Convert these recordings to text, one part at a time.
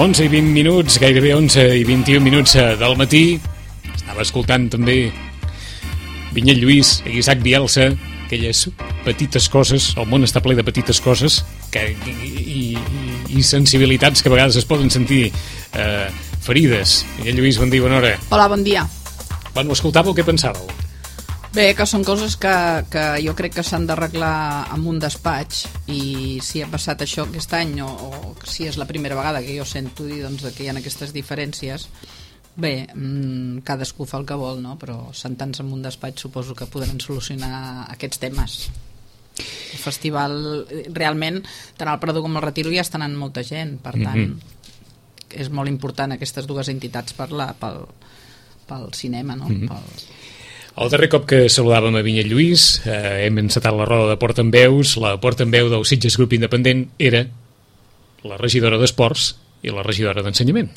11 i 20 minuts, gairebé 11 i 21 minuts del matí. Estava escoltant també Vinyet Lluís i Isaac Bielsa, aquelles petites coses, el món està ple de petites coses i sensibilitats que a vegades es poden sentir ferides. Vinyet Lluís, bon dia, bona hora. Hola, bon dia. Quan ho escoltàveu, què pensàveu? Bé, que són coses que jo crec que s'han d'arreglar en un despatx, i si ha passat això aquest any o si és la primera vegada que jo sento dir doncs, que hi ha aquestes diferències, bé, cadascú fa el que vol, no? Però sentant-se en un despatx suposo que podran solucionar aquests temes. El festival, realment, tant al Prado com al Retiro ja estan anant molta gent, per tant, és molt important aquestes dues entitats pel cinema, no? El darrer cop que saludàvem a Vinyet Lluís hem encetat la roda de portaveus. La portaveu del Sitges Grup Independent era la regidora d'Esports i la regidora d'Ensenyament.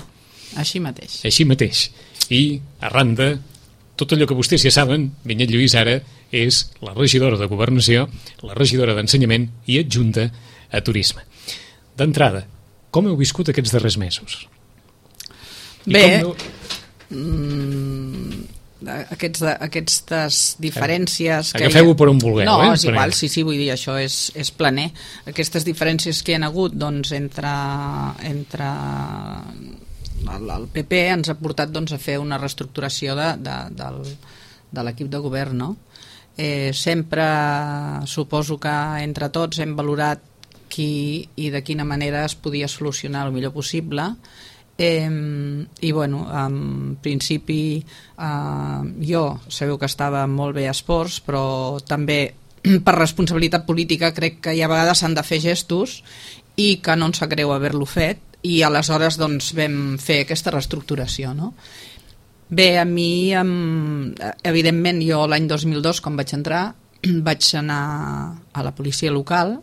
Així mateix. Així mateix. I arran de tot allò que vostès ja saben, Vinyet Lluís ara és la regidora de Governació, la regidora d'Ensenyament i adjunta a Turisme. D'entrada, com heu viscut aquests darrers mesos? Bé, aquestes diferències agafeu-ho per on vulgueu. No, és igual, sí, vull dir, això és planer. Aquestes diferències que hi ha hagut doncs, entre el PP ens ha portat doncs, a fer una reestructuració de l'equip de govern, no? Sempre suposo que entre tots hem valorat qui i de quina manera es podia solucionar el millor possible. I bueno, en principi jo sabeu que estava molt bé a Esports, però també per responsabilitat política crec que hi ha vegades s'han de fer gestos i que no ens sap greu haver-lo fet, i aleshores doncs vam fer aquesta reestructuració, no? Bé, a mi evidentment jo l'any 2002 quan vaig entrar vaig anar a la policia local.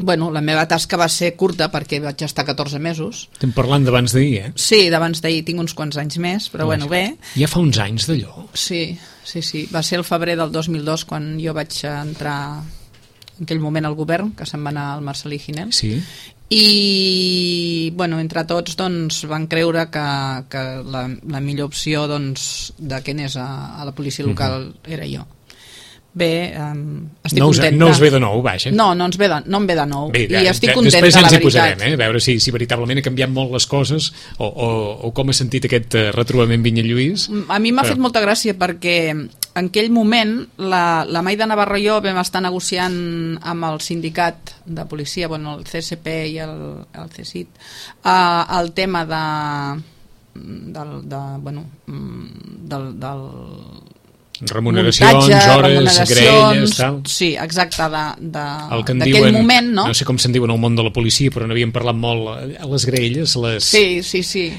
Bueno, la meva tasca va ser curta perquè vaig estar 14 mesos. Estem parlant d'abans d'ahir, eh? Sí, d'abans d'ahir, tinc uns quants anys més, però bueno, bé. Ja fa uns anys d'allò. Sí. Va ser el febrer del 2002 quan jo vaig entrar en aquell moment al govern, que se'n va anar el Marcelí Ginel. Sí. I, bueno, entre tots doncs, van creure que la millor opció doncs, de què anés a la policia local era jo. Bé, estic contenta. No us ve de nou, vaja. No em ve de nou. Bé, i estic contenta, després ja ens la hi posarem, veritat. a veure si veritablement ha canviat molt les coses o com ha sentit aquest retrobament Vinyet Lluís. A mi m'ha fet molta gràcia perquè en aquell moment la Maida Navarro i jo vam estar negociant amb el sindicat de policia, bueno, el CSP i el CSIT, el tema del remuneracions, hores, grelles, tal. Sí, exacte, d'aquell diuen, moment, no? No sé com se'n diuen al món de la policia, però n'havíem parlat molt, les grelles, les... Sí.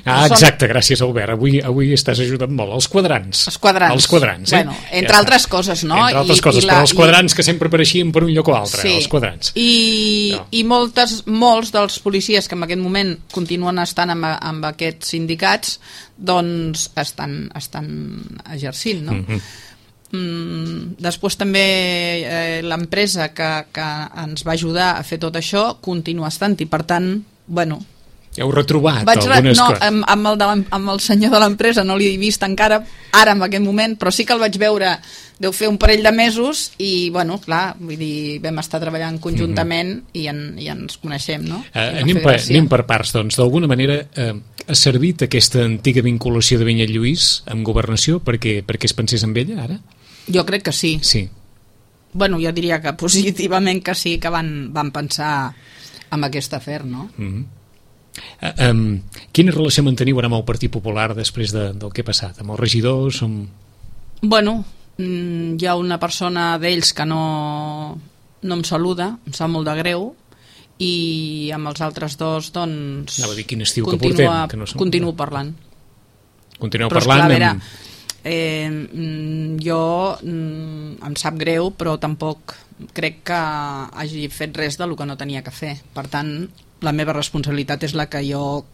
Exacte, gràcies Albert, avui estàs ajudant molt. Els quadrants. Els quadrants, Bueno, entre altres coses, no? Entre altres coses, però els quadrants que sempre apareixien per un lloc o altre, els quadrants. I molts dels policies que en aquest moment continuen estant amb aquests sindicats, doncs estan exercint, no? Després també l'empresa que ens va ajudar a fer tot això continua estant, i per tant, bueno, heu retrobat algunes coses. Amb el senyor de l'empresa no l'he vist encara ara en aquest moment, però sí que el vaig veure, deu fer un parell de mesos, i bueno, clar, vull dir, vam estar treballant conjuntament i ens coneixem, no? Anem per parts, doncs. D'alguna manera ha servit aquesta antiga vinculació de Vinyet Lluís amb Governació perquè es pensés en ella ara? Jo crec que sí. Sí. Bueno, jo diria que positivament que sí, que van pensar en aquest afer, no? Quina relació manteniu ara amb el Partit Popular després del que ha passat? Amb els regidors? Bueno, hi ha una persona d'ells que no em saluda, em sap molt de greu, i amb els altres dos doncs anava a dir quin estiu que portem, continuo parlant. Continueu però parlant? Però esclar, a veure, jo em sap greu, però tampoc crec que hagi fet res del que no tenia que fer. Per tant, la meva responsabilitat és la que jo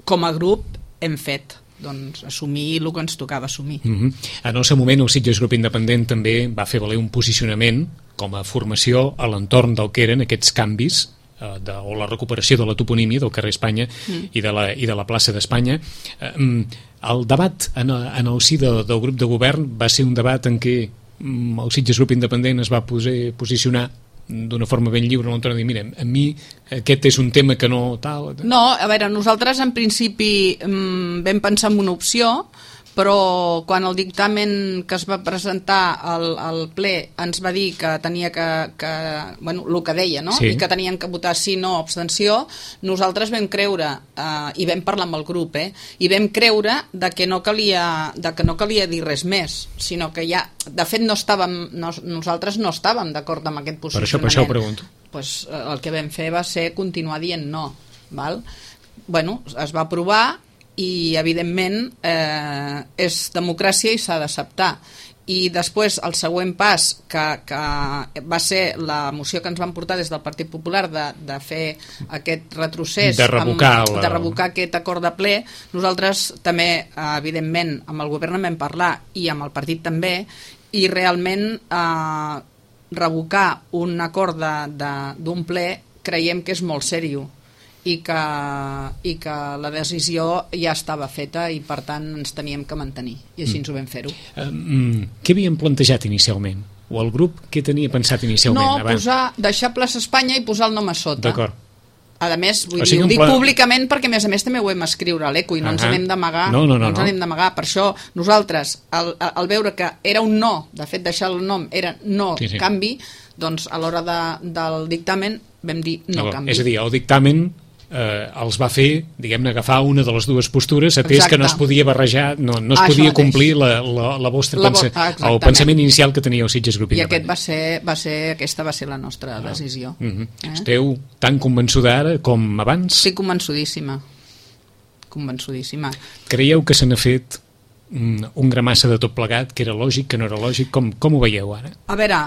com a grup hem fet, doncs assumir el que ens tocava assumir. En el seu moment el Sitges Grup Independent també va fer valer un posicionament com a formació a l'entorn del que eren aquests canvis o la recuperació de la toponímia del carrer Espanya i de la plaça d'Espanya. El debat en el si del grup de govern va ser un debat en què el Sitges Grup Independent es va posicionar d'una forma ben lliure, no de dir, mira, a mi aquest és un tema que no tal... No, a veure, nosaltres en principi vam pensar en una opció, però quan el dictamen que es va presentar al ple ens va dir que tenia bueno, el que deia, no? Sí. I que tenien que votar sí, no, abstenció, nosaltres vam creure, i vam parlar amb el grup, i vam creure que no calia dir res més, sinó que ja, de fet nosaltres no estàvem d'acord amb aquest posicionament. Per això ho pregunto. Pues, el que vam fer va ser continuar dient no, val? Bueno, es va aprovar i evidentment és democràcia i s'ha d'acceptar. I després el següent pas que va ser la moció que ens van portar des del Partit Popular de fer aquest retrocés, de revocar aquest acord de ple, nosaltres també evidentment amb el govern en vam parlar i amb el partit també, i realment revocar un acord d'un ple creiem que és molt seriós i que la decisió ja estava feta i per tant ens teníem que mantenir i així ens ho vam fer-ho. Què havien plantejat inicialment? O el grup què tenia pensat inicialment? No, deixar plaça Espanya i posar el nom a sota. D'acord. A més, ho dic públicament perquè a més també ho vam escriure a l'ECO i no ens n'hem d'amagar. No ens n'hem d'amagar. Per això nosaltres, al veure que era un no, de fet deixar el nom era no canvi, doncs a l'hora del dictamen vam dir no canvi. És a dir, el dictamen els va fer, diguem-ne, agafar una de les dues postures, atès que no es podia barrejar, no es podia complir el pensament inicial que tenia el Sitges Grup Independent. I aquesta va ser la nostra decisió. Esteu tan convençuda ara com abans? Sí, convençudíssima. Creieu que se n'ha fet un gramassa de tot plegat, que era lògic, que no era lògic? Com ho veieu ara? A veure,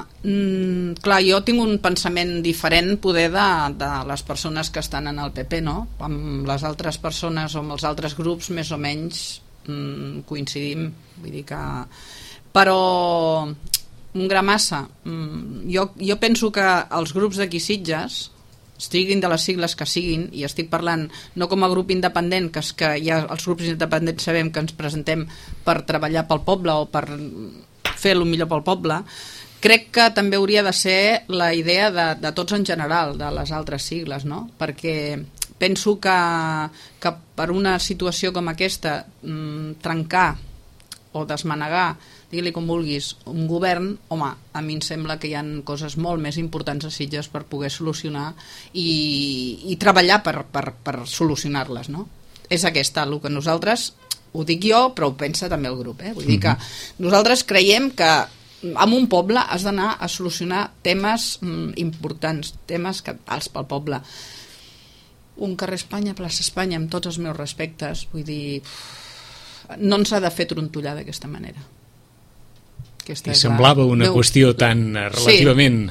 clar, jo tinc un pensament diferent poder de les persones que estan en el PP, no? Amb les altres persones o amb els altres grups més o menys coincidim, vull dir que... Però un gramassa, jo penso que els grups d'aquí Sitges, estiguin de les sigles que siguin, i estic parlant no com a grup independent, que ja els grups independents sabem que ens presentem per treballar pel poble o per fer el millor pel poble, crec que també hauria de ser la idea de tots en general, de les altres sigles, no? Perquè penso que per una situació com aquesta trencar o desmanegar, digue-li com vulguis, un govern, home, a mi em sembla que hi ha coses molt més importants a Sitges per poder solucionar i treballar per solucionar-les, no? És aquesta, el que nosaltres, ho dic jo, però ho pensa també el grup, vull dir que nosaltres creiem que en un poble has d'anar a solucionar temes importants, temes cabdals pel poble. Un carrer Espanya, plaça Espanya, amb tots els meus respectes, vull dir, no ens ha de fer trontollar d'aquesta manera. I semblava una qüestió tan relativament...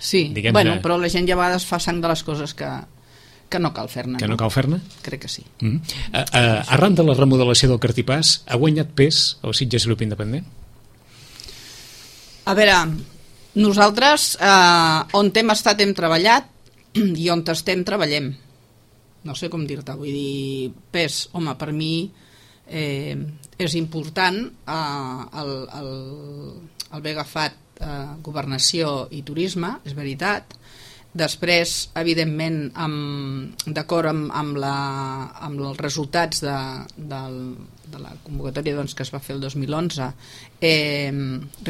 Sí, bueno, però la gent ja a vegades fa sang de les coses que no cal fer-ne. Que no cal fer-ne? Crec que sí. Arran de la remodelació del Cartipàs, ha guanyat pes el Sitges Grup Independent? A veure, nosaltres on hem estat hem treballat i on estem treballem. No sé com dir-te, vull dir, pes, home, per mi... és important el haver agafat governació i turisme, és veritat. Després, evidentment, d'acord amb els resultats de la convocatòria que es va fer el 2011,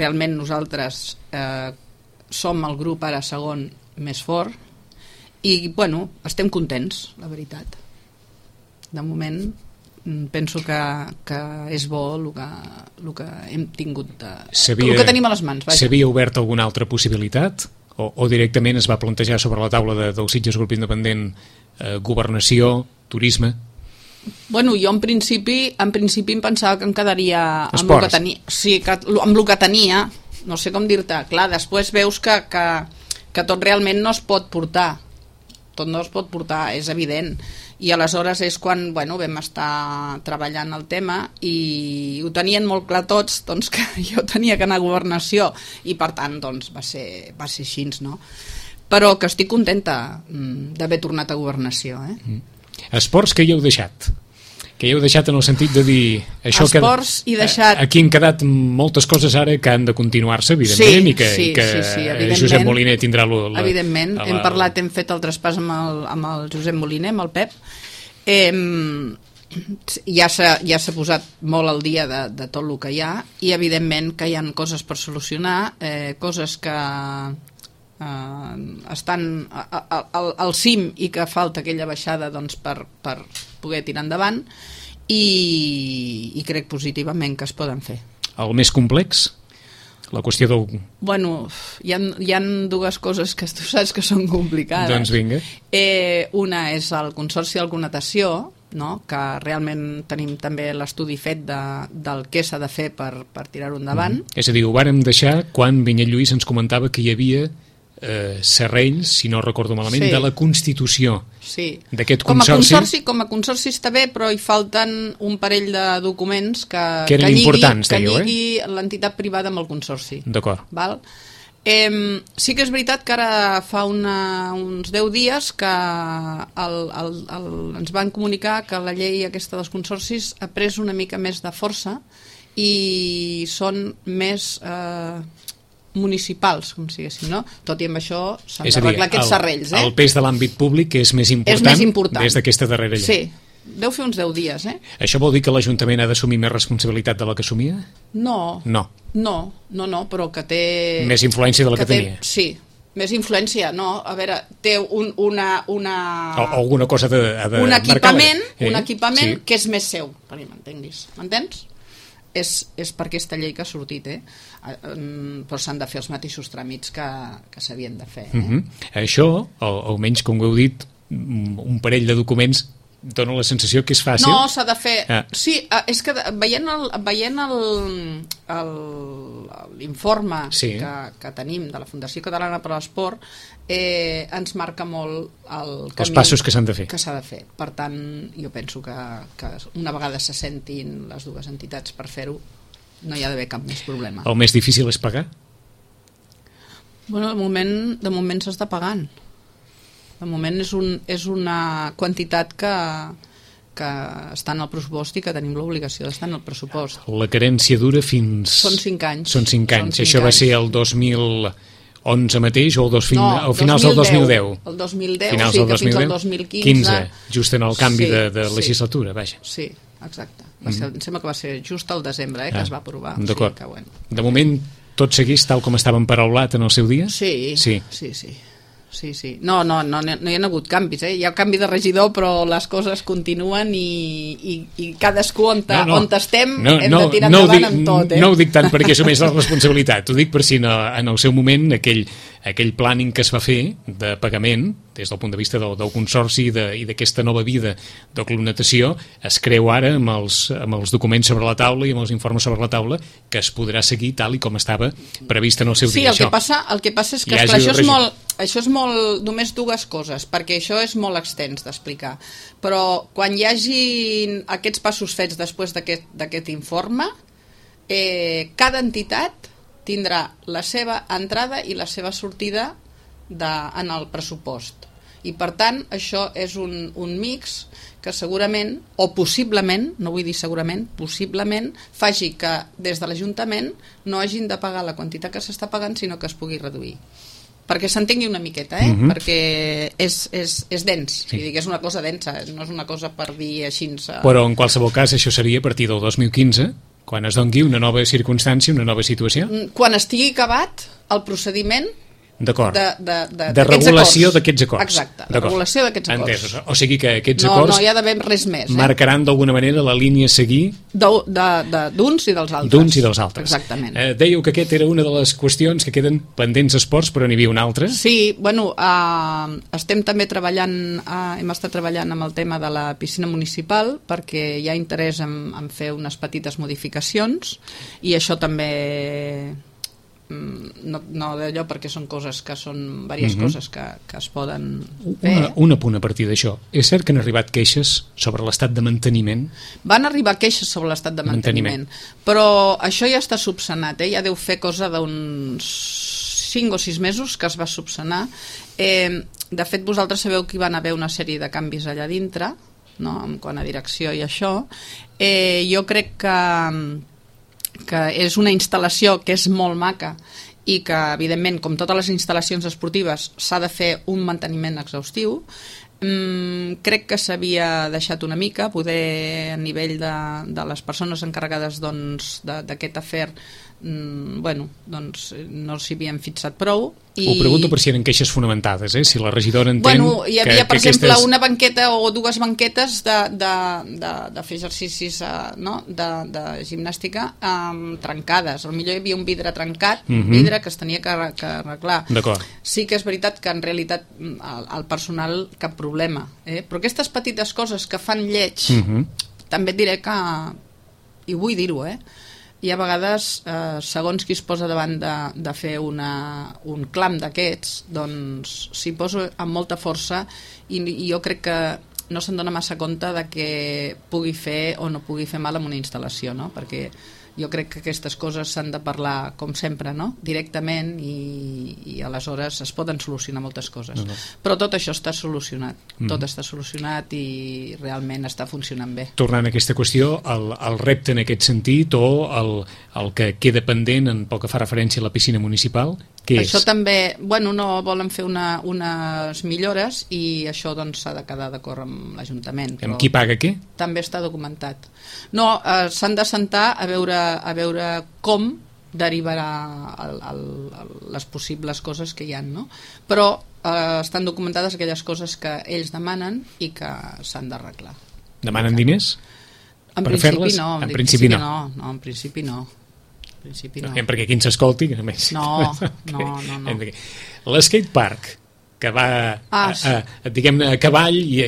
realment nosaltres som el grup ara segon més fort i, bueno, estem contents, la veritat. De moment... penso que és bo el que hem tingut, el que tenim a les mans. S'havia obert alguna altra possibilitat? O directament es va plantejar sobre la taula del Sitges Grup Independent governació, turisme? Bueno, jo en principi em pensava que em quedaria amb el que tenia. Sí, amb el que tenia, no sé com dir-te. Clar, després veus que tot realment no es pot portar. Tot no es pot portar, és evident. I aleshores és quan vam estar treballant el tema i ho tenien molt clar tots, que jo tenia que anar a governació i per tant va ser així, no? però que estic contenta d'haver tornat a Governació. Esports que hi heu deixat? Que hi heu deixat en el sentit de dir... Esports i deixat... Aquí han quedat moltes coses ara que han de continuar-se, evidentment, i que Josep Moliner tindrà... Evidentment, hem fet el traspàs amb el Josep Moliner, amb el Pep. Ja s'ha posat molt al dia de tot el que hi ha, i evidentment que hi ha coses per solucionar, coses que estan al cim i que falta aquella baixada per poder tirar endavant, i crec positivament que es poden fer. El més complex? La qüestió del... Bueno, hi ha dues coses que tu saps que són complicades. Doncs vinga. Una és el Consorci d'Alcunatació, no? Que realment tenim també l'estudi fet del què s'ha de fer per tirar-ho endavant. És a dir, ho vàrem deixar quan Vinyet Lluís ens comentava que hi havia serrells, si no recordo malament, de la Constitució d'aquest consorci. Com a consorci està bé, però hi falten un parell de documents que lligui l'entitat privada amb el consorci. D'acord. Sí que és veritat que ara fa uns 10 dies que ens van comunicar que la llei aquesta dels consorcis ha pres una mica més de força i són més municipals, com si diguéssim, no? Tot i amb això s'han d'arreglar aquests serrells. El pes de l'àmbit públic és més important des d'aquesta darrera llei. Sí, deu fer uns 10 dies. Això vol dir que l'Ajuntament ha d'assumir més responsabilitat de la que assumia? No, però que té... Més influència de la que tenia? Sí, més influència, no. A veure, té alguna cosa un equipament que és més seu, perquè m'entenguis. M'entens? És per aquesta llei que ha sortit, però s'han de fer els mateixos tràmits que s'havien de fer. Això, almenys com ho heu dit, un parell de documents dona la sensació que és fàcil. No, s'ha de fer... Sí, és que veient l'informe que tenim de la Fundació Catalana per a l'Esport, ens marca molt el camí... Els passos que s'han de fer. Que s'ha de fer. Per tant, jo penso que una vegada se sentin les dues entitats per fer-ho, no hi ha d'haver cap més problema. El més difícil és pagar? Bueno, de moment s'està pagant. De moment és una quantitat que està en el pressupost i que tenim l'obligació d'estar en el pressupost. La carència dura fins... Són 5 anys. Són 5 anys. Això va ser el 2011 mateix o finals del 2010? El 2010, finals sí, del que fins al 2015. Just en el canvi de legislatura, vaja. Sí, exacte. Em sembla que va ser just al desembre que es va aprovar. D'acord. De moment tot segueix tal com estàvem paraulat en el seu dia? Sí. No hi ha hagut canvis, hi ha canvi de regidor, però les coses continuen i cadascú on estem hem de tirar endavant amb tot. No ho dic tant perquè assumeix la responsabilitat, ho dic per si en el seu moment aquell planning que es va fer de pagament des del punt de vista del consorci i d'aquesta nova vida d'Alcunatació es creu ara amb els documents sobre la taula i amb els informes sobre la taula que es podrà seguir tal i com estava previst en el seu dia. Sí, el que passa és que això és molt només dues coses, perquè això és molt extens d'explicar, però quan hi hagi aquests passos fets després d'aquest informe, cada entitat tindrà la seva entrada i la seva sortida en el pressupost. I per tant això és un mix que segurament, o possiblement, no vull dir segurament, possiblement faci que des de l'Ajuntament no hagin de pagar la quantitat que s'està pagant, sinó que es pugui reduir. Perquè s'entengui una miqueta, perquè és dens, és una cosa densa, no és una cosa per dir així. Però en qualsevol cas això seria a partir del 2015, quan es doni una nova circumstància, una nova situació? Quan estigui acabat el procediment de regulació d'aquests acords. Exacte, de regulació d'aquests acords. Entesos. O sigui que aquests acords no hi ha d'haver res més. Marcaran d'alguna manera la línia a seguir d'uns i dels altres. D'uns i dels altres. Exactament. Dèieu que aquesta era una de les qüestions que queden pendents esports, però n'hi havia una altra. Sí, bueno, estem també treballant, hem estat treballant amb el tema de la piscina municipal perquè hi ha interès en fer unes petites modificacions i això també... no d'allò perquè són coses que són diverses coses que es poden fer. Un apunt a partir d'això. És cert que han arribat queixes sobre l'estat de manteniment? Van arribar queixes sobre l'estat de manteniment, però això ja està subsanat, ja deu fer cosa d'uns 5 o 6 mesos que es va subsanar. De fet, vosaltres sabeu que hi van haver una sèrie de canvis allà dintre, no? En quant a direcció i això. Jo crec que és una instal·lació que és molt maca i que, evidentment, com totes les instal·lacions esportives, s'ha de fer un manteniment exhaustiu. Crec que s'havia deixat una mica, poder a nivell de les persones encarregades d'aquest afer, doncs no s'hi havien fixat prou. Ho pregunto per si eren queixes fonamentades, si la regidora entén hi havia, per exemple, una banqueta o 2 banquetes de fer exercicis de gimnàstica trencades. Potser hi havia un vidre trencat, vidre que es tenia que arreglar. Sí que és veritat que en realitat el personal cap problema, però aquestes petites coses que fan lleig, també et diré que, i vull dir-ho, hi ha vegades, segons qui es posa davant de fer un clam d'aquests, doncs s'hi posa amb molta força i jo crec que no se'n dona massa compte de que pugui fer o no pugui fer mal en una instal·lació, no? Perquè jo crec que aquestes coses s'han de parlar, com sempre, no? Directament, i aleshores es poden solucionar moltes coses. Però tot això està solucionat. Tot està solucionat i realment està funcionant bé. Tornant a aquesta qüestió, el repte en aquest sentit o el que queda pendent en pel que fa referència a la piscina municipal, què és? Això també, no volen fer unes millores i això doncs s'ha de quedar d'acord amb l'Ajuntament. Amb qui paga què? També està documentat. No, s'han de sentar a veure com derivarà les possibles coses que hi ha, no? Però estan documentades aquelles coses que ells demanen i que s'han d'arreglar. Demanen diners? En principi no. En principi no. Perquè qui ens escolti, a més. No. L'skatepark, que va diguem-ne a cavall i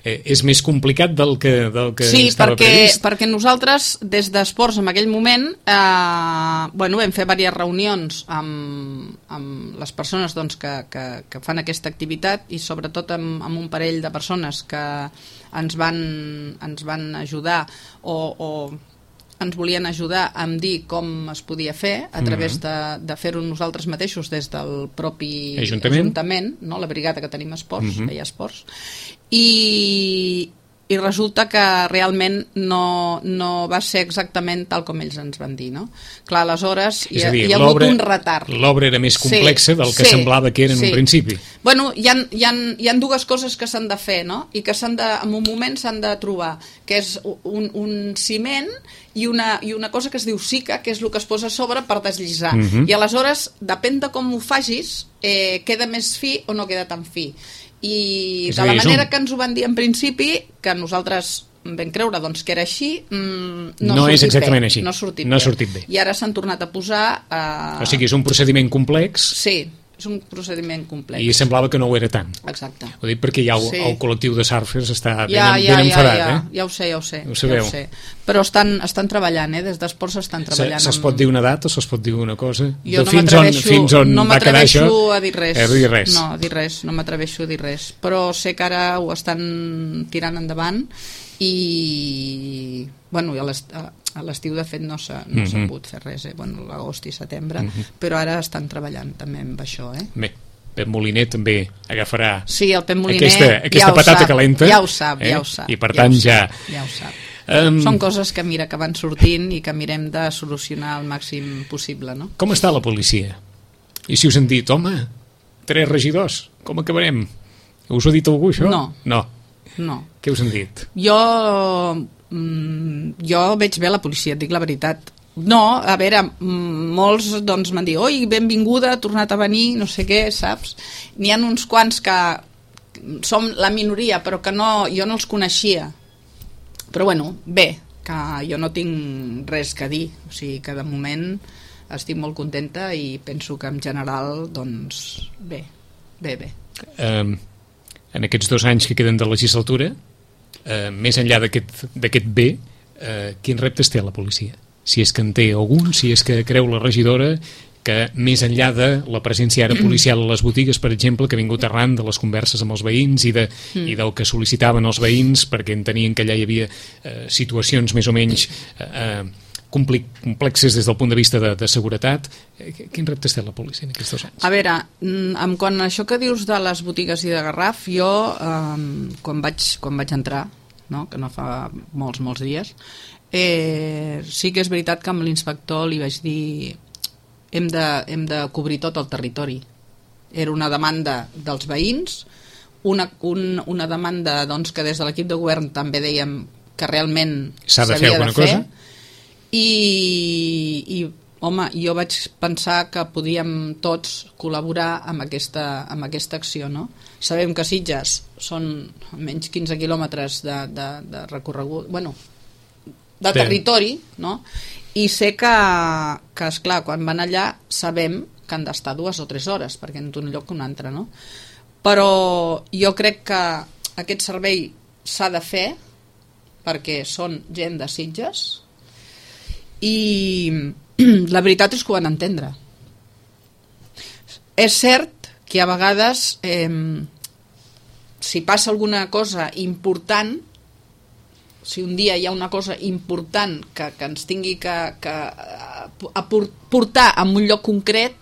és més complicat del que estava previst. Sí, perquè nosaltres des d'Esports en aquell moment vam fer diverses reunions amb les persones que fan aquesta activitat i sobretot amb un parell de persones que ens van ajudar o ens volien ajudar a dir com es podia fer a través de fer-ho nosaltres mateixos des del propi Ajuntament, no? La brigada que tenim esports, feia esports, i resulta que realment no va ser exactament tal com ells ens van dir, no? Clar, aleshores hi ha hagut un retard. L'obra era més complexa del que semblava que era en un principi. Hi ha 2 coses que s'han de fer, no? I que en un moment s'han de trobar, que és un ciment i una cosa que es diu sica, que és el que es posa a sobre per deslliçar. I aleshores, depèn de com ho facis, queda més fi o no queda tan fi. I de la manera que ens ho van dir en principi, que nosaltres vam creure que era així, no és exactament així, no ha sortit bé. I ara s'han tornat a posar o sigui, és un procediment complex. Sí, és un procediment complex. I semblava que no ho era tant. Exacte. Ho dic perquè ja el col·lectiu de surfers està ben enfadat. Ja ho sé. Ho sabeu. Però estan treballant, des d'esports estan treballant. Se'ls pot dir una data o se'ls pot dir una cosa? Jo no m'atreveixo a dir res. No m'atreveixo a dir res. Però sé que ara ho estan tirant endavant i a l'estiu de fet no s'ha pogut fer res, l'agost i setembre, però ara estan treballant també amb això. Bé, Pep Moliner també agafarà el Pep Moliner aquesta patata calenta, ja ho sap, i per tant ja ho sap. Són coses que van sortint i que mirem de solucionar al màxim possible, no? Com està la policia? I si us han dit, home, 3 regidors, com acabarem? Us ho ha dit algú, això? No. Què us han dit? Jo veig bé la policia, et dic la veritat. No, a veure, molts m'han dit, oi, benvinguda, ha tornat a venir, no sé què, saps? N'hi ha uns quants que som la minoria, però que jo no els coneixia. Però bé, que jo no tinc res que dir, o sigui que de moment estic molt contenta i penso que en general, doncs, bé. En aquests 2 anys que queden de legislatura, més enllà d'aquest bé, quins reptes té la policia? Si és que en té algun, si és que creu la regidora que més enllà de la presència ara policial a les botigues, per exemple, que ha vingut arran de les converses amb els veïns i del que sol·licitaven els veïns perquè entenien que allà hi havia situacions més o menys complexes des del punt de vista de seguretat. Quin reptes té la policia en aquests 2 anys? A veure, en quant a això que dius de les botigues i de Garraf, jo quan vaig entrar, no? Que no fa molts dies, sí que és veritat que amb l'inspector li vaig dir hem de cobrir tot el territori. Era una demanda dels veïns, una demanda doncs, que des de l'equip de govern també dèiem que realment s'havia de fer. I home, jo vaig pensar que podíem tots col·laborar amb aquesta acció, no? Sabem que Sitges són menys 15 quilòmetres de recorregut, bueno, de territori, no? I sé que esclar, quan van allà sabem que han d'estar 2 o 3 hores perquè en un lloc que un altre, no? Però jo crec que aquest servei s'ha de fer perquè són gent de Sitges i la veritat és que ho van entendre. És cert que a vegades si passa alguna cosa important, si un dia hi ha una cosa important que ens tingui que portar a un lloc concret,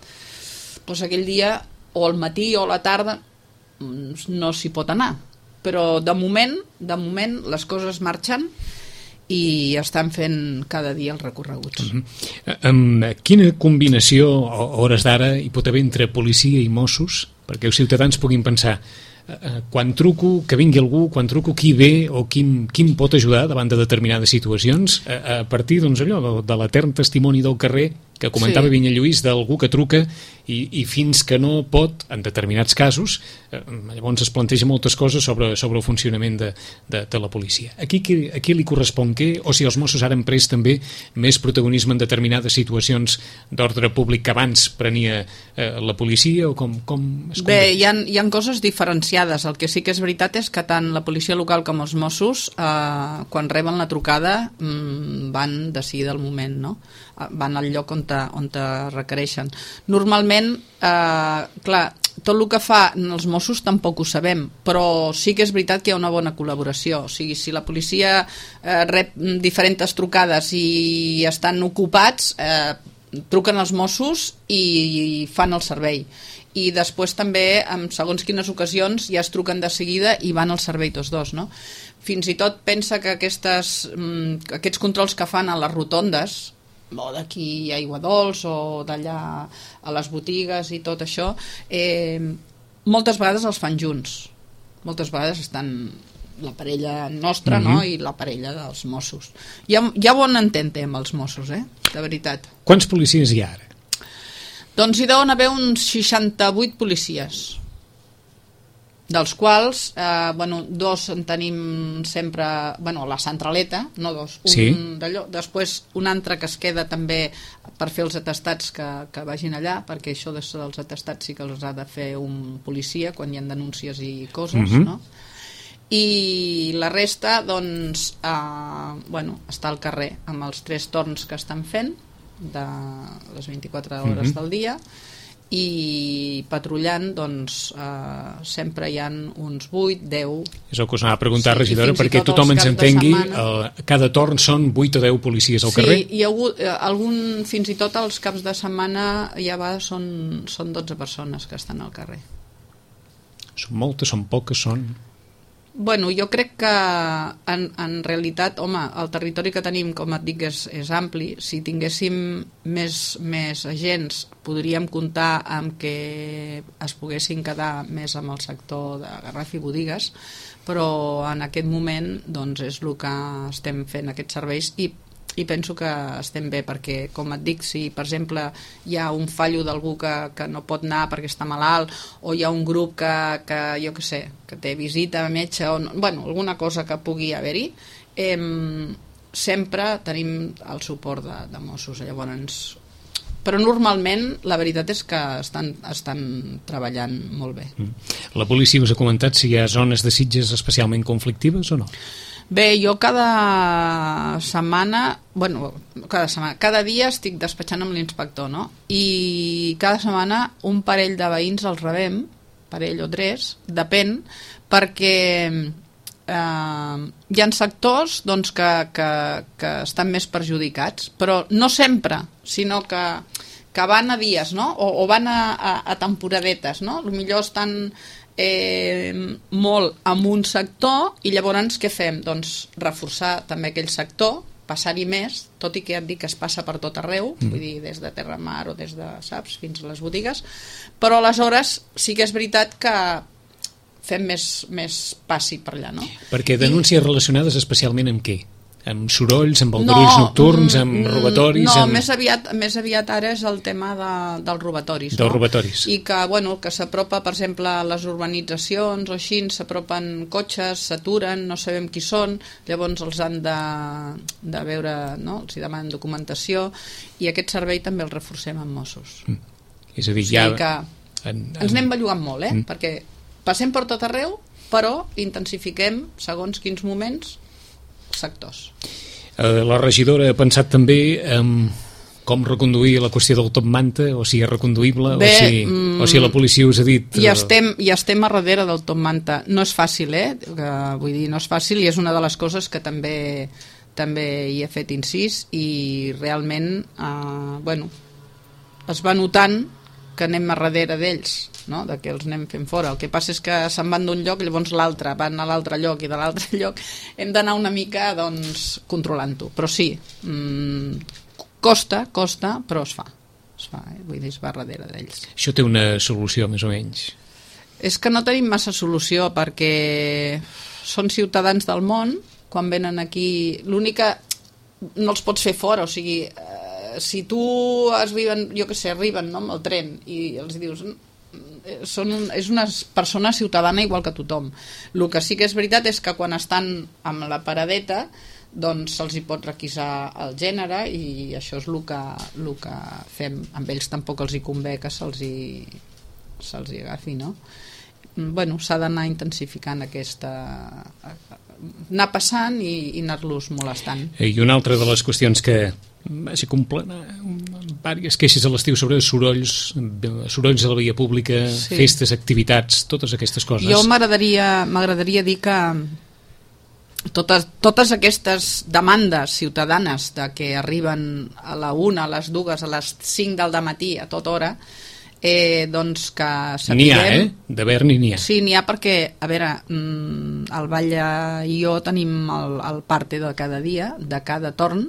doncs aquell dia o al matí o a la tarda no s'hi pot anar, però de moment les coses marxen i estan fent cada dia els recorreguts. Quina combinació a hores d'ara hi pot haver entre policia i Mossos perquè els ciutadans puguin pensar quan truco, que vingui algú, quan truco qui ve o qui em pot ajudar davant de determinades situacions, a partir doncs, allò de l'etern testimoni del carrer que comentava Vinyet Lluís, d'algú que truca i fins que no pot, en determinats casos, llavors es planteja moltes coses sobre el funcionament de la policia. A qui li correspon què? O si els Mossos ara han pres també més protagonisme en determinades situacions d'ordre públic que abans prenia la policia o com es Bé, hi ha coses diferenciades. El que sí que és veritat és que tant la policia local com els Mossos quan reben la trucada van de seguida al moment, no? Van al lloc on te requereixen. Normalment, clar, tot el que fa els Mossos tampoc ho sabem, però sí que és veritat que hi ha una bona col·laboració. O sigui, si la policia rep diferents trucades i estan ocupats, truquen als Mossos i fan el servei. I després també, en segons quines ocasions, ja es truquen de seguida i van al servei tots dos, no? Fins i tot pensa que aquests controls que fan a les rotondes, o d'aquí a Aiguadols o d'allà a les botigues i tot això, moltes vegades els fan junts. Moltes vegades estan la parella nostra, no? I la parella dels Mossos. Hi ha bon entente amb els Mossos, de veritat. Quants policies hi ha ara? Doncs hi deuen haver uns 68 policies, dels quals 2 en tenim sempre a la centraleta, no 2, d'allò. Després un altre que es queda també per fer els atestats que vagin allà, perquè això dels atestats sí que els ha de fer un policia quan hi ha denúncies i coses, no? I la resta doncs està al carrer amb els 3 torns que estan fent de les 24 hores del dia i patrullant doncs sempre hi ha uns 8, 10. És el que us anava a preguntar, regidora, perquè tothom ens entengui, cada torn són 8 o 10 policies al carrer? Sí, hi ha hagut fins i tot els caps de setmana ja són 12 persones que estan al carrer. Són moltes, són poques, són... Bueno, jo crec que en realitat, home, el territori que tenim, com et dic, és ampli. Si tinguéssim més agents, podríem comptar amb que es poguessin quedar més amb el sector de Garraf i botigues, però en aquest moment doncs, és el que estem fent aquests serveis i penso que estem bé, perquè, com et dic, si per exemple hi ha un fallo d'algú que no pot anar perquè està malalt, o hi ha un grup que jo què sé, que té visita a metge, o alguna cosa que pugui haver-hi, sempre tenim el suport de Mossos. Llavors, però normalment la veritat és que estan treballant molt bé. La policia us ha comentat si hi ha zones de Sitges especialment conflictives o no? Bé, jo cada dia estic despatxant amb l'inspector, no? I cada setmana un parell de veïns els rebem, parell o 3, depèn, perquè hi ha sectors doncs, que estan més perjudicats, però no sempre, sinó que van a dies, no? O van a temporadetes, no? Potser estan molt en un sector i llavors què fem? Doncs reforçar també aquell sector, passar-hi més, tot i que ja et dic que es passa per tot arreu, vull dir, des de Terra Mar o des de, saps, fins a les botigues, però aleshores sí que és veritat que fem més passi per allà, no? Perquè denúncies relacionades especialment amb què? Amb sorolls, amb aldarulls nocturns, amb robatoris? No, més aviat ara és el tema dels robatoris. Dels robatoris. I que, bueno, que s'apropa, per exemple, a les urbanitzacions o així, s'apropen cotxes, s'aturen, no sabem qui són, llavors els han de veure, no? Els hi demanen documentació, i aquest servei també el reforcem amb Mossos. És a dir, ja... O sigui que ens anem bellugant molt, perquè passem per tot arreu, però intensifiquem, segons quins moments, sectors. La regidora ha pensat també en com reconduir la qüestió del top manta, o si és reconduïble, o si la policia us ha dit... Ja estem a darrere del top manta. No és fàcil, vull dir, no és fàcil, i és una de les coses que també hi he fet incís, i realment, es va notant que anem a darrere d'ells, no? De que els anem fent fora. El que passa és que se'n van d'un lloc i llavors l'altre van a l'altre lloc, i de l'altre lloc hem d'anar una mica controlant-ho, però sí, costa, però es fa, vull dir, es va darrere d'ells. Això té una solució, més o menys? És que no tenim massa solució, perquè són ciutadans del món, quan venen aquí, l'únic que no els pots fer fora, o sigui, si tu arriben, jo què sé, arriben, no, amb el tren i els dius és una persona ciutadana igual que tothom. El que sí que és veritat és que quan estan amb la paradeta doncs se'ls hi pot requisar el gènere, i això és el que fem. Amb ells tampoc els hi convé que se'ls hi agafi, no? Bueno, s'ha d'anar intensificant anar passant i anar-los molestant. I una altra de les qüestions que vaig completar diverses queixes a l'estiu sobre sorolls a la via pública, festes, activitats, totes aquestes coses. Jo m'agradaria dir que totes aquestes demandes ciutadanes de que arriben a la 1, a les 2, a les 5 del dematí, a tota hora, doncs que sapiguem... N'hi ha, d'haver-n'hi n'hi ha. Sí, n'hi ha perquè, a veure, el Batlle i jo tenim el parte de cada dia, de cada torn,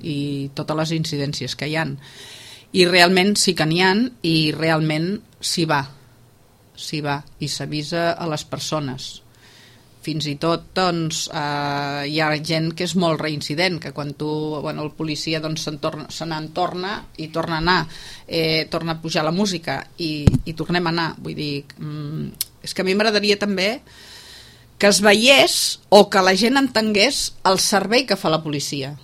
i totes les incidències que hi ha. I realment sí que n'hi ha, i realment s'hi va, i s'avisa a les persones. Fins i tot doncs, hi ha gent que és molt reincident, que quan el policia se n'en torna i torna a anar, torna a pujar la música i tornem a anar. Vull dir, és que a mi m'agradaria també que es veiés o que la gent entengués el servei que fa la policia,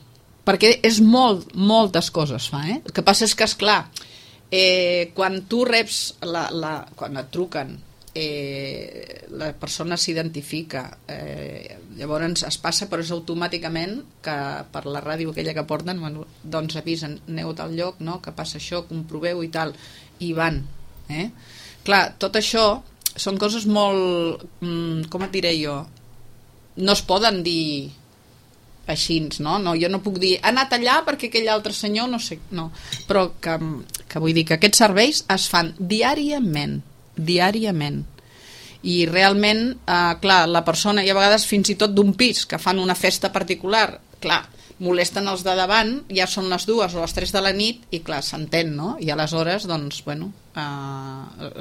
perquè és moltes coses fa. El que passa és que, esclar, quan tu reps quan et truquen, la persona s'identifica, llavors es passa, però és automàticament que per la ràdio aquella que porten doncs avisen, aneu a tal lloc, no? Que passa això, comproveu i tal, i van. Clar, tot això són coses molt, com et diré jo, no es poden dir així, no? Jo no puc dir, ha anat allà perquè aquell altre senyor no sé, no, però que vull dir que aquests serveis es fan diàriament, i realment, clar, la persona, i a vegades fins i tot d'un pis que fan una festa particular, clar, molesten els de davant, ja són les 2 o les 3 de la nit, i clar, s'entén, no? I aleshores, doncs, bueno,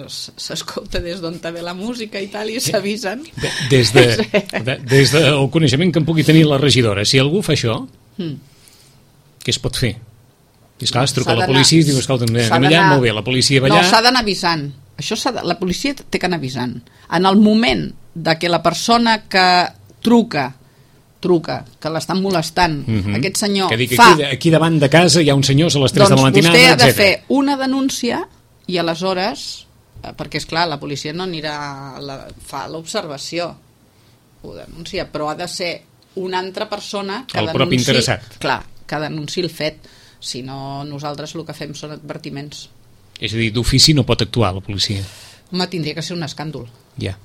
s'escolta des d'on ve la música i tal, i s'avisen. Des del coneixement que en pugui tenir la regidora, si algú fa això, què es pot fer? I esclar, es truca a la policia i es diu, escolta, anem allà, molt bé, la policia va allà... No, s'ha d'anar avisant. La policia té que anar avisant. En el moment de que la persona que truca, que l'estan molestant, aquest senyor que dic, aquí davant de casa hi ha un senyor a les 3 de la matinada, vostè ha de fer una denúncia, i aleshores, perquè esclar, la policia no anirà, fa l'observació, ho denuncia, però ha de ser una altra persona que el propi interessat. Clar, que denunciï el fet. Si no, nosaltres el que fem són advertiments. És a dir, d'ofici no pot actuar la policia. Home, tindria que ser un escàndol. Ja.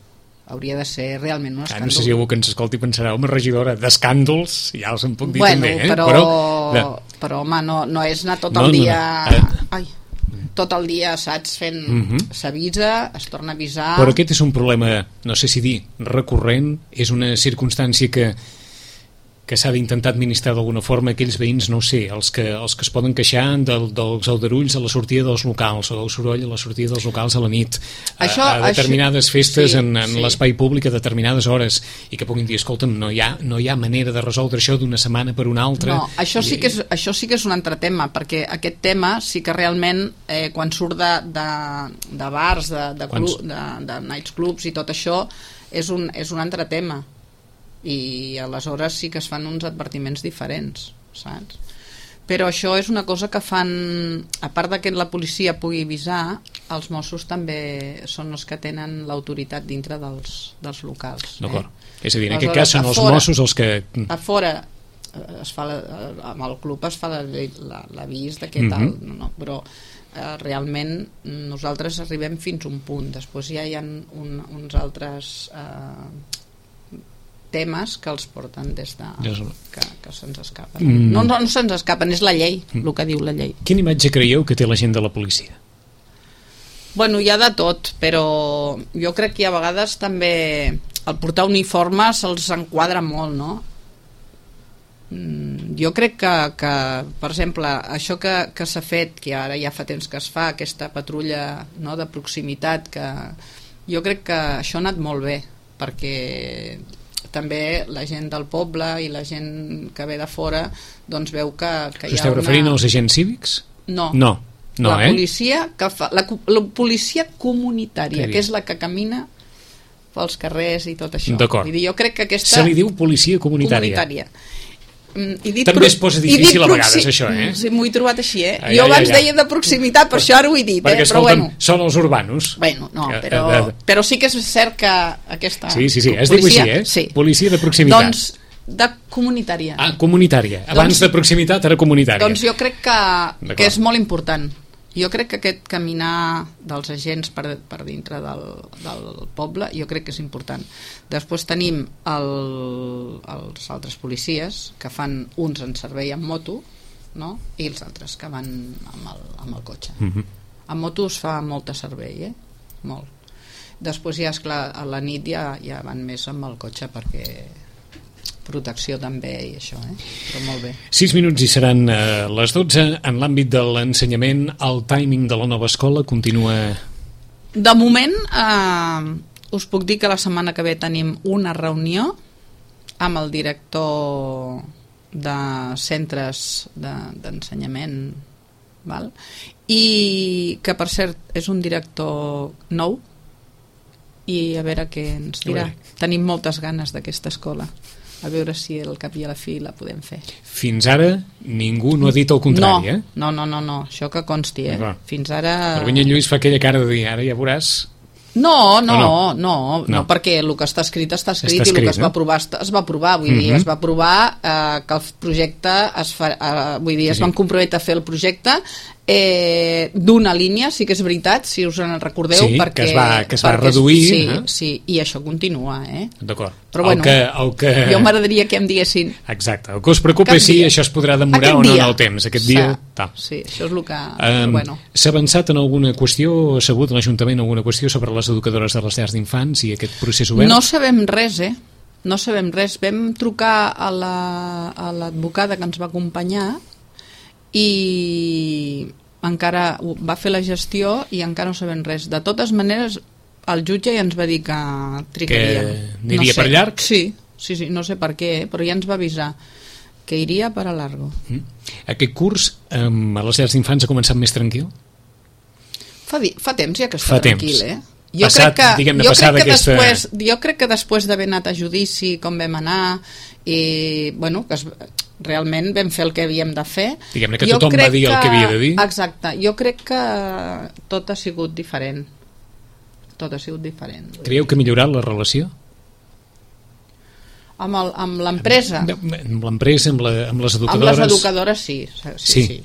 hauria de ser realment un escàndol. No sé si algú que ens escolti pensarà, home, regidora, d'escàndols, ja els en puc dir bueno, també, però home, no és anar tot el dia... Ai, tot el dia, saps, fent... S'avisa, es torna a avisar... Però aquest és un problema, no sé si dir, recurrent, és una circumstància que s'ha d'intentar administrar d'alguna forma. Aquells veïns, no ho sé, els que es poden queixar dels aldarulls a la sortida dels locals o del soroll a la sortida dels locals a la nit, a determinades festes en l'espai públic a determinades hores, i que puguin dir, escolta'm, no hi ha manera de resoldre això d'una setmana per una altra. No, això sí que és un altre tema, perquè aquest tema sí que realment quan surt de bars, de nights clubs i tot això, és un altre tema, i aleshores sí que es fan uns advertiments diferents, saps? Però això és una cosa que fan, a part de que la policia pugui avisar, els Mossos també són els que tenen l'autoritat dintre dels locals. D'acord. És a dir, en aquest cas són els Mossos els que... A fora amb el club es fa l'avís de què tal, però realment nosaltres arribem fins a un punt, després ja hi ha uns altres temes que els porten des de... que se'ns escapen. No se'ns escapen, és la llei, el que diu la llei. Quina imatge creieu que té la gent de la policia? Bueno, hi ha de tot, però jo crec que a vegades també el portar uniforme se'ls enquadra molt, no? Jo crec que per exemple, això que s'ha fet, que ara ja fa temps que es fa, aquesta patrulla, no, de proximitat, que jo crec que això ha anat molt bé, perquè també la gent del poble i la gent que ve de fora doncs veu que hi ha Esteu referint als agents cívics? No, la policia que fa, la policia comunitària, que és la que camina pels carrers i tot això. D'acord. Vull dir, jo crec que aquesta... Se li diu policia comunitària. També es posa difícil a vegades això, Sí, m'ho he trobat així, Jo abans deia de proximitat, per això ara ho he dit, perquè, però bueno. Són els urbanos. Bueno, no, però sí que és cert que aquesta... Sí, es diu així, Sí. Policia de proximitat. Doncs de comunitària. Comunitària. Abans de proximitat, ara comunitària. Doncs jo crec que és molt important. Jo crec que aquest caminar dels agents per dintre del poble, jo crec que és important. Després tenim els altres policies, que fan uns en servei amb moto, no? I els altres que van amb el cotxe. Amb moto es fa molt servei, molt. Després ja, esclar, a la nit ja van més amb el cotxe perquè... protecció també i això, però molt bé. 6 minuts i seran les 12. En l'àmbit de l'ensenyament, el timing de la nova escola continua... De moment us puc dir que la setmana que ve tenim una reunió amb el director de centres d'ensenyament, val? I que per cert és un director nou i a veure què ens dirà. Tenim moltes ganes d'aquesta escola, a veure si al cap i a la fi la podem fer. Fins ara ningú no ha dit el contrari, No, això que consti, Fins ara... El Vinyet Lluís fa aquella cara de dir, ara ja veuràs... No, perquè el que està escrit està escrit i el que es va aprovar es va aprovar, vull dir, es va aprovar que el projecte es van comprometre a fer el projecte d'una línia, sí que és veritat, si us en recordeu, perquè, que es va reduir. Sí, i això continua, D'acord. Però bueno, jo m'agradaria que em diguessin... Exacte, el que us preocupa és si això es podrà demorar o no en el temps, aquest dia... Sí, això és el que... S'ha avançat en alguna qüestió, ha sabut l'Ajuntament alguna qüestió sobre les educadores de les llars d'infants i aquest procés obert? No sabem res, no sabem res. Vam trucar a l'advocada que ens va acompanyar i encara va fer la gestió i encara no sabem res. De totes maneres, el jutge ja ens va dir que trigaríem. Que aniria per llarg? Sí, no sé per què, però ja ens va avisar que iria per a largo. Aquest curs a les llars d'infants ha començat més tranquil? Fa temps ja que està tranquil, Jo crec que després d'haver anat a judici, com vam anar, i bueno, que realment vam fer el que havíem de fer. Diguem-ne que tothom va dir el que havia de dir. Exacte, jo crec que tot ha sigut diferent. Creieu que ha millorat la relació? Amb l'empresa? Amb l'empresa, amb les educadores? Amb les educadores sí.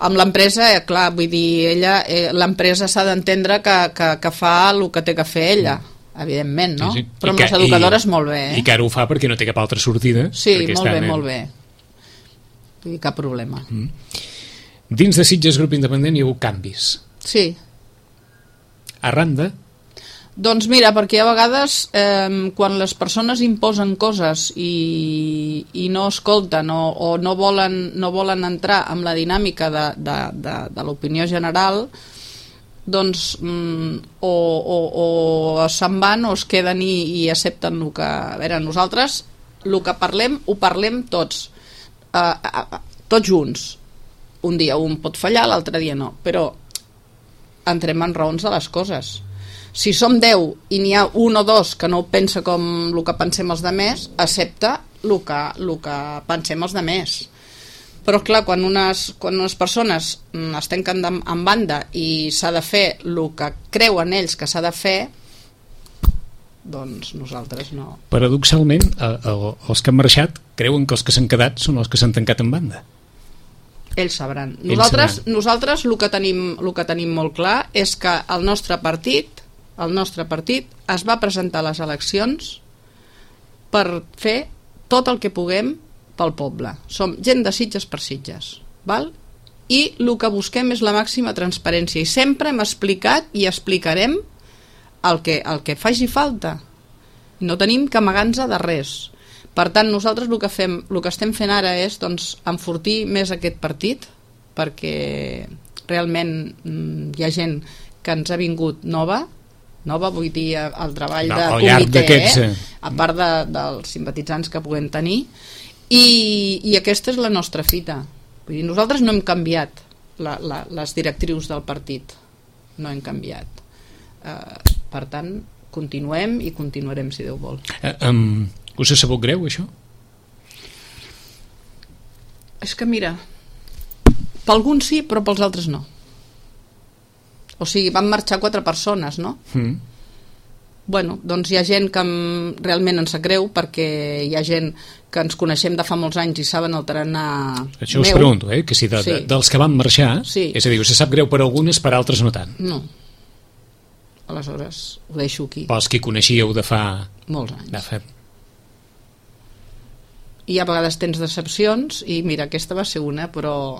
Amb l'empresa, clar, vull dir, l'empresa s'ha d'entendre que fa el que té que fer ella, evidentment, no? Sí. Però amb les educadores molt bé, I que ara ho fa perquè no té cap altra sortida. Sí, molt bé. Vull dir, cap problema. Dins de Sitges Grup Independent hi ha hagut canvis. Sí. Arran de? Doncs mira, perquè a vegades quan les persones imposen coses i no escolten o no volen entrar en la dinàmica de l'opinió general, doncs o se'n van o es queden i accepten el que... A veure, nosaltres el que parlem, ho parlem tots, tots junts. Un dia un pot fallar, l'altre dia no, però entrem en raons de les coses. Si som 10 i n'hi ha un o dos que no pensa com el que pensem els demés, accepta el que pensem els demés. Però clar, quan unes persones es tanquen en banda i s'ha de fer el que creuen ells que s'ha de fer, doncs nosaltres no. Paradoxalment, els que han marxat creuen que els que s'han quedat són els que s'han tancat en banda. Ells sabran. Nosaltres el que tenim molt clar és que el nostre partit es va presentar a les eleccions per fer tot el que puguem pel poble. Som gent de Sitges per Sitges, val? I el que busquem és la màxima transparència i sempre hem explicat i explicarem el que faci falta. No tenim que amagar-nos de res. Per tant, nosaltres el que estem fent ara és enfortir més aquest partit, perquè realment hi ha gent que ens ha vingut nova, vull dir, el treball de comitè, a part dels simpatitzants que puguem tenir, i aquesta és la nostra fita. Vull dir, nosaltres no hem canviat les directrius del partit, no hem canviat. Per tant, continuem i continuarem, si Déu vol. Us ha sabut greu, això? És que mira, per alguns sí, però pels altres no. O sigui, van marxar 4 persones, no? Bueno, doncs hi ha gent que realment ens sap greu, perquè hi ha gent que ens coneixem de fa molts anys i saben el tarannà meu. Això us pregunto, que si dels que van marxar, és a dir, us sap greu per algunes, per altres no tant. No. Aleshores, ho deixo aquí. Pels que coneixíeu de fa... molts anys. I a vegades tens decepcions, i mira, aquesta va ser una, però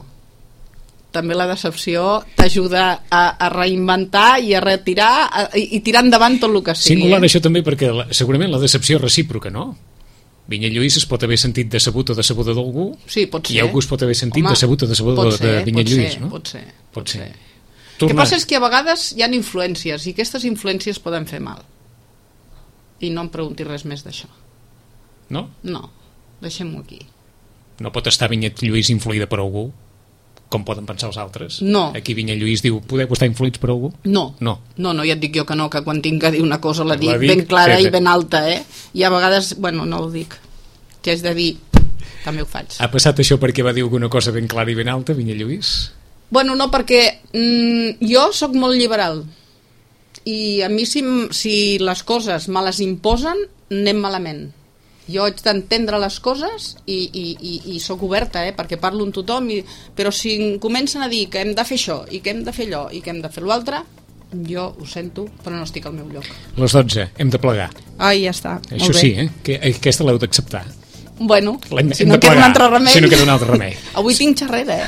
també la decepció t'ajuda a reinventar i a retirar i tirar endavant tot el que sigui. Singular això també, perquè segurament la decepció és recíproca, no? Vinyet Lluís es pot haver sentit decebut o decebuda d'algú, sí, pot ser. I algú es pot haver sentit decebut o decebuda de Vinyet Lluís, no? Pot ser. El que passa és que a vegades hi ha influències i aquestes influències poden fer mal. I no em preguntis res més d'això. No? No, deixem-ho aquí. No pot estar Vinyet Lluís influïda per algú, com poden pensar els altres? No. Aquí Vinyet Lluís diu, podeu estar influïts per algú? No, ja et dic jo que no, que quan tinc que dir una cosa la dic ben clara i ben alta, i a vegades, bueno, no ho dic, que és de dir, també ho faig. Ha passat això perquè va dir alguna cosa ben clara i ben alta, Vinyet Lluís? Bueno, no, perquè jo sóc molt liberal i a mi si les coses me les imposen anem malament. Jo haig d'entendre les coses i sóc oberta, perquè parlo amb tothom, però si em comencen a dir que hem de fer això i que hem de fer allò i que hem de fer l'altre, jo ho sento, però no estic al meu lloc. Les 12, hem de plegar. Ai, ja està, això molt bé. Sí, que aquesta l'heu d'acceptar. Bueno, si no queda un altre remei. Si no queda un altre remei. Avui tinc xerrera,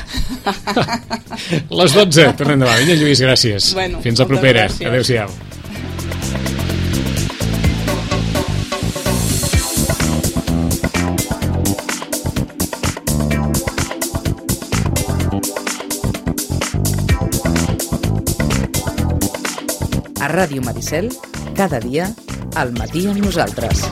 Les 12, tornem demà. Vinyet Lluís, gràcies. Bueno, fins la propera. Adéu-siau. A Ràdio Maricel, cada dia, al matí amb nosaltres.